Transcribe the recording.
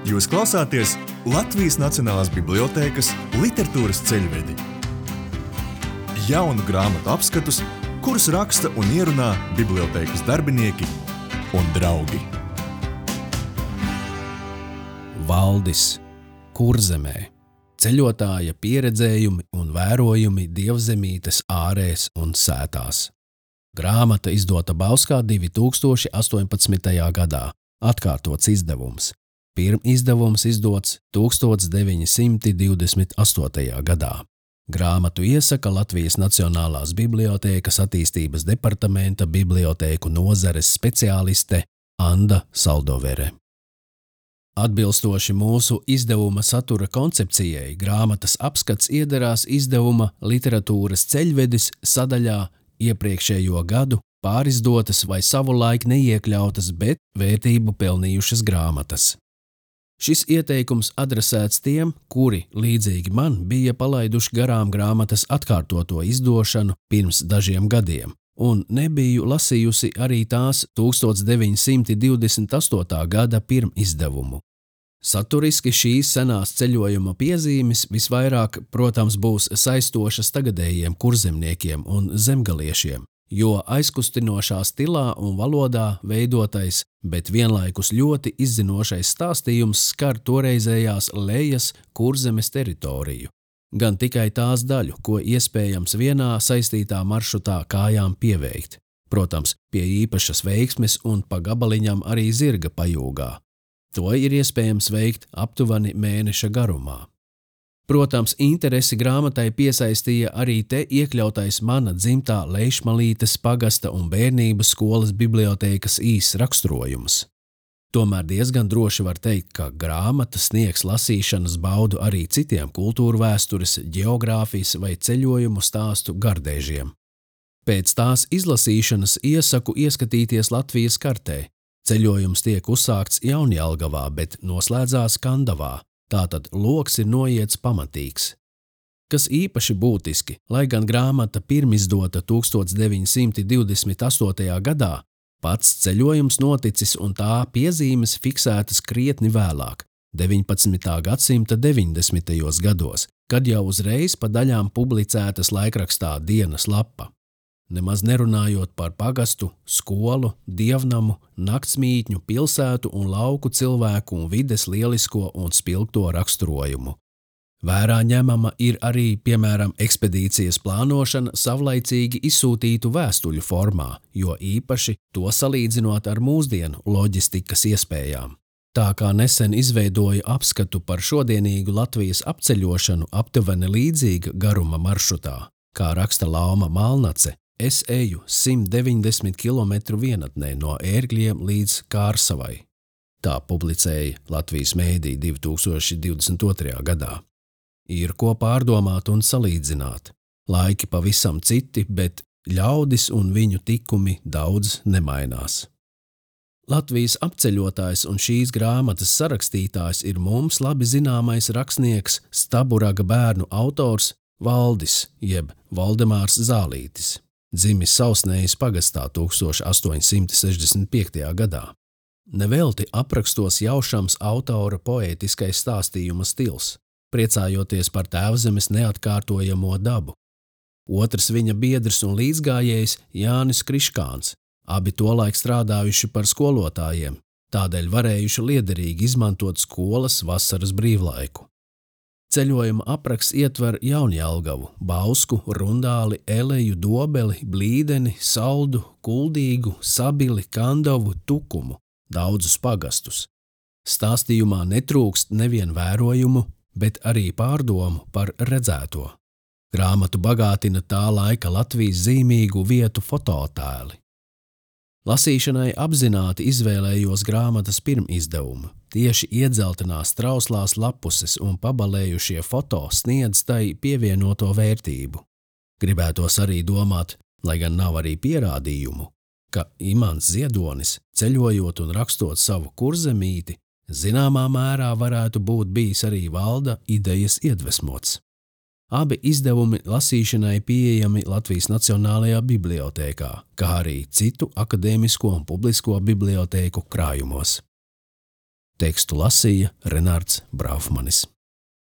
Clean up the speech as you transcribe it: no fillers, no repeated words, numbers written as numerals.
Jūs klausāties Latvijas Nacionālās bibliotēkas literatūras ceļvedi. Jaunu grāmatu apskatus, kurus raksta un ierunā bibliotēkas darbinieki un draugi. Valdis, Kurzemē, ceļotāja pieredzējumi un vērojumi dievzemītes ārēs un sētās. Grāmata izdota Bauskā 2018. gadā, atkārtots izdevums. Pirmizdevums izdots 1928. gadā. Grāmatu iesaka Latvijas Nacionālās bibliotēkas attīstības departamenta bibliotēku nozares speciāliste Anda Saldovere. Atbilstoši mūsu izdevuma satura koncepcijai, grāmatas apskats iederās izdevuma literatūras ceļvedis sadaļā iepriekšējo gadu pārizdotas vai savulaik neiekļautas, bet vērtību pelnījušas grāmatas. Šis ieteikums adresēts tiem, kuri, līdzīgi man, bija palaiduši garām grāmatas atkārtoto izdošanu pirms dažiem gadiem, un nebiju lasījusi arī tās 1928. gada pirmizdevumu. Saturiski šīs senās ceļojuma piezīmes visvairāk, protams, būs saistošas tagadējiem kurzemniekiem un zemgaliešiem, jo aizkustinošā stilā un valodā veidotais, bet vienlaikus ļoti izzinošais stāstījums skar toreizējās Lejas Kurzemes teritoriju. Gan tikai tās daļu, ko iespējams vienā saistītā maršrutā kājām pieveikt. Protams, pie īpašas veiksmes un pa gabaliņam arī zirga pajūgā. To ir iespējams veikt aptuveni mēneša garumā. Protams, interesi grāmatai piesaistīja arī te iekļautais mana dzimtā Leišmalītes pagasta un bērnības skolas bibliotēkas īss raksturojums. Tomēr diezgan droši var teikt, ka grāmata sniegs lasīšanas baudu arī citiem kultūru vēstures, ģeogrāfijas vai ceļojumu stāstu gardēžiem. Pēc tās izlasīšanas iesaku ieskatīties Latvijas kartē. Ceļojums tiek uzsākts Jaunjelgavā, bet noslēdzās Kandavā. Tātad loks ir noiets pamatīgs. Kas īpaši būtiski, lai gan grāmata pirmizdota 1928. gadā, pats ceļojums noticis un tā piezīmes fiksētas krietni vēlāk, 19. gadsimta 90. gados, kad jau uzreiz pa daļām publicētas laikrakstā Dienas lapa. Nemaz nerunājot par pagastu, skolu, dievnamu, naktsmītņu, pilsētu un lauku cilvēku un vides lielisko un spilgto raksturojumu. Vērā ņemama ir arī, piemēram, ekspedīcijas plānošana savlaicīgi izsūtītu vēstuļu formā, jo īpaši to salīdzinot ar mūsdienu loģistikas iespējām. Tā kā nesen izveidoja apskatu par šodienīgu Latvijas apceļošanu aptuveni līdzīga garuma maršrutā, kā raksta Lauma Malnace, es eju 190 km vienatnē no Ērgļiem līdz Kārsavai. Tā publicēja Latvijas mēdī 2022. gadā. Ir ko pārdomāt un salīdzināt. Laiki pavisam citi, bet ļaudis un viņu tikumi daudz nemainās. Latvijas apceļotājs un šīs grāmatas sarakstītājs ir mums labi zināmais rakstnieks, Staburaga bērnu autors Valdis, jeb Valdemārs Zālītis. Dzimis Sausnējas pagastā 1865. gadā. Nevelti aprakstos jaušams autora poētiskais stāstījuma stils, priecājoties par tēvzemes neatkārtojamo dabu. Otrs viņa biedrs un līdzgājējs Jānis Kriškāns, abi tolaik strādājuši par skolotājiem, tādēļ varējuši liederīgi izmantot skolas vasaras brīvlaiku. Ceļojuma apraksts ietver Jaunjelgavu, Bausku, Rundāli, Eleju, Dobeli, Blīdeni, Saldu, Kuldīgu, Sabili, Kandavu, Tukumu, daudzus pagastus. Stāstījumā netrūkst nevien vērojumu, bet arī pārdomu par redzēto. Grāmatu bagātina tā laika Latvijas zīmīgu vietu fototēli. Lasīšanai apzināti izvēlējos grāmatas pirmizdevumu. Tieši iedzeltenās trauslās lapuses un pabalējušie foto sniedz tai pievienoto vērtību. Gribētos arī domāt, lai gan nav arī pierādījumu, ka Imants Ziedonis, ceļojot un rakstot savu kurzemīti, zināmā mērā varētu būt bijis arī Valda idejas iedvesmots. Abi izdevumi lasīšanai pieejami Latvijas Nacionālajā bibliotēkā, kā arī citu akadēmisko un publisko bibliotēku krājumos. Tekstu lasīja Renārds Braufmanis.